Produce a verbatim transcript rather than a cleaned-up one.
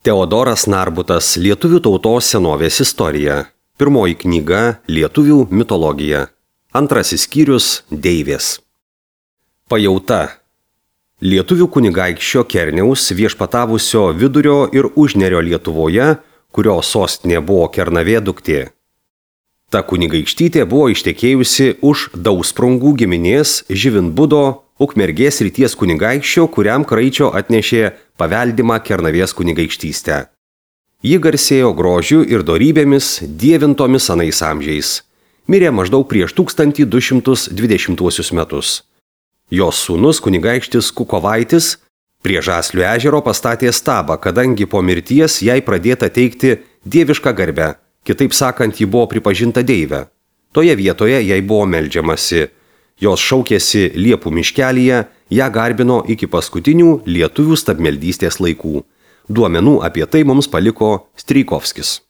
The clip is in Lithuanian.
Teodoras Narbutas Lietuvių tautos senovės istorija. Pirmoji knyga Lietuvių mitologija. Antrasis skyrius Deivės. Pajauta. Lietuvių kunigaikščio Kerniaus viešpatavusio Vidurio ir Užnerio Lietuvoje, kurio sostinė buvo Kernavė duktė. Ta kunigaikštytė buvo ištekėjusi už Dausprungų giminės Živinbudo Ukmergės srities kunigaikščio, kuriam Kraičio atnešė paveldimą Kernavės kunigaikštystę. Ji garsėjo grožiu ir dorybėmis dievintomis anais amžiais. Mirė maždaug prieš tūkstantį du šimtus dvidešimtuosius metus. Jos sūnus kunigaikštis Kukovaitis prie Žaslių ežero pastatė stabą, kadangi po mirties jai pradėta teikti dievišką garbę, kitaip sakant, ji buvo pripažinta deive. Toje vietoje jai buvo meldžiamasi. Jos šaukėsi Liepų miškelyje, ją garbino iki paskutinių lietuvių stabmeldystės laikų. Duomenų apie tai mums paliko Strijkovskis.